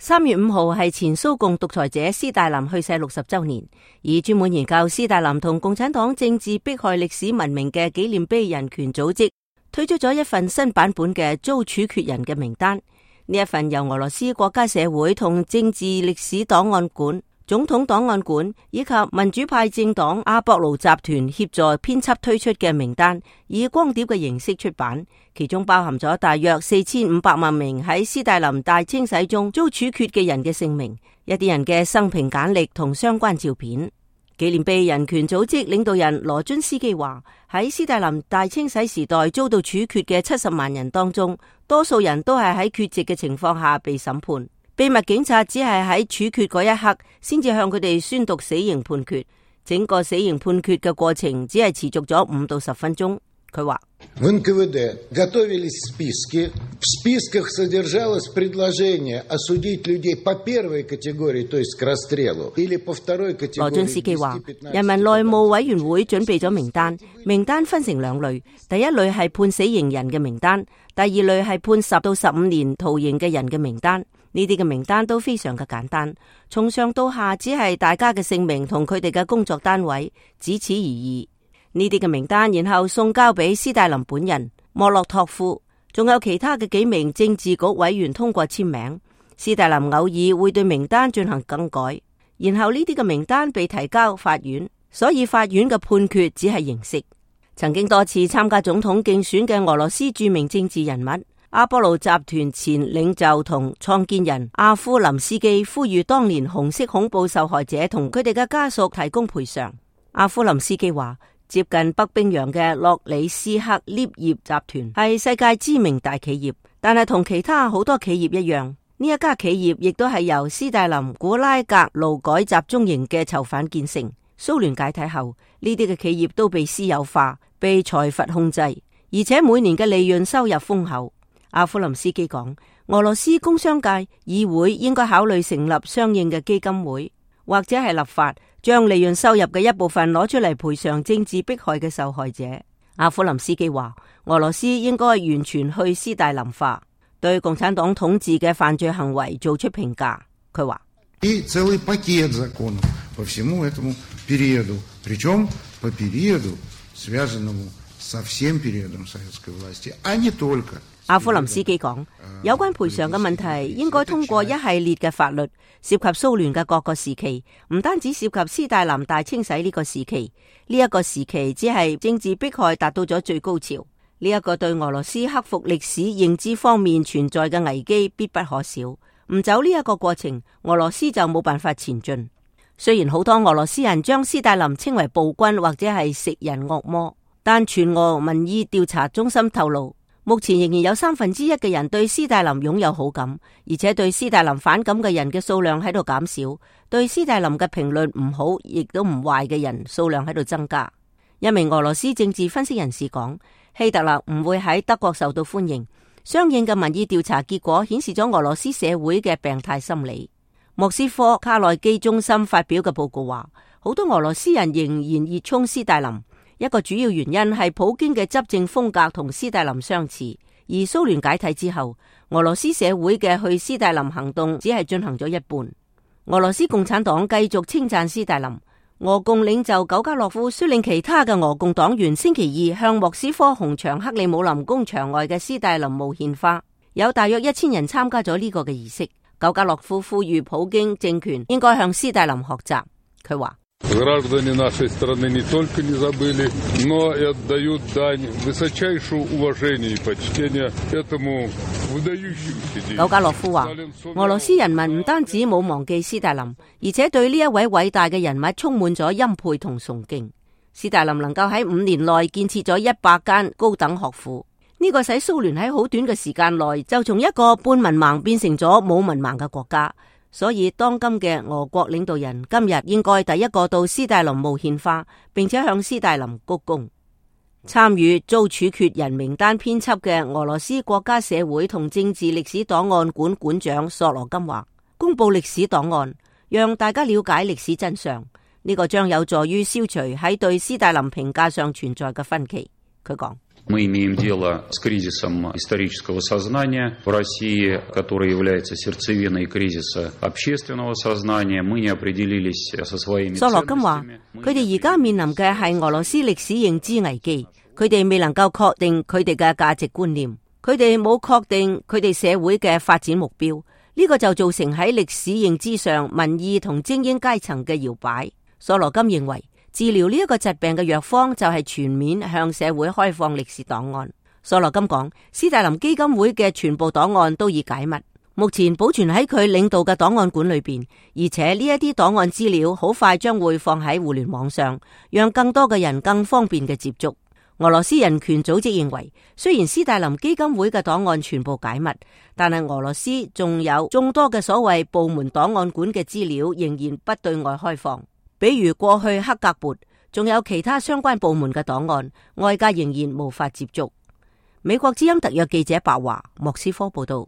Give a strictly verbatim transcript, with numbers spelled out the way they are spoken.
三月五號係前蘇共獨裁者斯大林去世六十周年，而專門研究斯大林同共產黨政治迫害歷史聞名嘅紀念碑人權組織推出咗一份新版本嘅遭處決人嘅名單。呢一份由俄羅斯國家社會同政治歷史檔案館、總統檔案館以及民主派政黨阿博盧集團協助編輯推出嘅名單，以光碟嘅形式出版，其中包含咗大約四千五百萬名喺斯大林大清洗中遭處決嘅人嘅姓名，一啲人嘅生平簡歷同相關照片。紀念碑人權組織領導人羅津斯基話，喺斯大林大清洗時代遭到處決嘅七十萬人當中，多數人都係喺缺席嘅情況下被審判。秘密警察只係喺處決嗰一刻先至向佢哋宣讀死刑判決，整個死刑判決嘅過程只係持續咗五到十分鐘。佢話в эн ка вэ дэ готовились списки, в списках содержалось предложение осудить людей по первой категории, то есть к расстрелу, или по второй категории. 羅津斯基話，人民內務委員會準備咗名單，名單分成兩類，第一類係判死刑人嘅名單，第二類係判十到十五年徒刑嘅人嘅名單。呢啲嘅名單都非常嘅簡單，從上到下只係大家嘅姓名同佢哋嘅工作單位，只此而已。呢啲嘅名單然後送交俾斯大林本人、莫洛托夫，仲有其他嘅幾名政治局委員通過簽名。斯大林偶爾會對名單進行更改，然後呢啲嘅名單被提交法院，所以法院嘅判決只係形式。曾經多次參加總統競選嘅俄羅斯著名政治人物阿波羅集團前領袖同創建人阿夫林斯基呼籲當年紅色恐怖受害者同佢哋嘅家屬提供賠償。阿夫林斯基話，接近北冰洋嘅洛里斯克鎳業集團係世界知名大企業，但係同其他好多企業一樣，呢一家企業亦都係由斯大林古拉格勞改集中營嘅囚犯建成。蘇聯解體後，呢啲嘅企業都被私有化，被財閥控制，而且每年嘅利潤收入豐厚。阿夫林斯基講，俄羅斯工商界議會應該考慮成立相應嘅基金會，或者係立法將利潤收入嘅一部分攞出嚟賠償政治迫害嘅受害者。阿夫林斯基話，俄羅斯應該完全去斯大林化，對共產黨統治嘅犯罪行為做出評價。佢話，и целый пакет законов по всему этому периоду, причем по периоду, связанному со всем периодом советской власти, а не только。阿夫林斯基講，有關賠償嘅問題應該通過一系列嘅法律，涉及蘇聯嘅各個時期，唔單止涉及斯大林大清洗呢個時期。呢、這、一個時期只係政治迫害達到咗最高潮。呢、這、一個對俄羅斯克服歷史認知方面存在嘅危機必不可少。唔走呢一個過程，俄羅斯就冇辦法前進。雖然好多俄羅斯人將斯大林稱為暴君或者係食人惡魔，但全俄民意調查中心透露，目前仍然有三分之一嘅人對斯大林擁有好感，而且對斯大林反感嘅人嘅數量喺度減少，對斯大林嘅評論唔好亦都唔壞嘅人數量喺度增加。一名俄羅斯政治分析人士講，希特勒唔會喺德國受到歡迎。相應嘅民意調查結果顯示咗俄羅斯社會嘅病態心理。莫斯科卡內基中心發表嘅報告話，好多俄羅斯人仍然熱衷斯大林。一個主要原因係普京嘅執政風格同斯大林相似，而蘇聯解體之後，俄羅斯社會嘅去斯大林行動只係進行咗一半。俄羅斯共產黨繼續稱讚斯大林，俄共領袖苟加洛夫率領其他嘅俄共黨員星期二向莫斯科紅場克里姆林宮牆外嘅斯大林墓獻花，有大約一千人參加咗呢個嘅儀式。苟加洛夫呼籲普京政權應該向斯大林學習。佢話，Граждане нашей страны не только не забыли, но и отдают дань высочайшего уважения и почтения этому выдающемуся деятелю。苟加洛夫話，俄羅斯人民唔單止冇忘記斯大林，而且對呢一位偉大嘅人物充滿咗欽佩同崇敬。斯大林能夠喺五年內建設咗一百間高等學府，呢、這個使蘇聯喺好短嘅時間內就從一個半文盲變成咗冇文盲嘅國家。所以當今嘅俄國領導人今日應該第一個到斯大林墓獻花，並且向斯大林鞠躬。參與遭處決人名單編輯嘅俄羅斯國家社會同政治歷史檔案館館長索羅金話，公布歷史檔案，讓大家了解歷史真相，呢、這個將有助於消除喺對斯大林評價上存在嘅分歧。佢講。Мы имеем дело с кризисом исторического сознания в России, который является сердцевиной кризиса общественного сознания. Мы не определились со своими ценностями. 索羅金話：佢哋而家面臨嘅係俄羅斯歷史認知危機，佢哋未能夠確定佢哋嘅價值觀念，佢哋冇確定佢哋社會嘅發展目標，呢個就造成喺歷史認知上民意同精英階層嘅搖擺。索羅金認為，治療呢一個疾病嘅藥方就係全面向社會開放歷史檔案。索羅金講，斯大林基金會嘅全部檔案都已解密，目前保存喺佢領導嘅檔案館裏邊，而且呢一啲檔案資料好快將會放喺互聯網上，讓更多嘅人更方便嘅接觸。俄羅斯人權組織認為，雖然斯大林基金會嘅檔案全部解密，但係俄羅斯仲有眾多嘅所謂部門檔案館嘅資料仍然不對外開放。比如過去克格勃，仲有其他相關部門嘅檔案，外界仍然無法接觸。美國之音特約記者白華，莫斯科報道。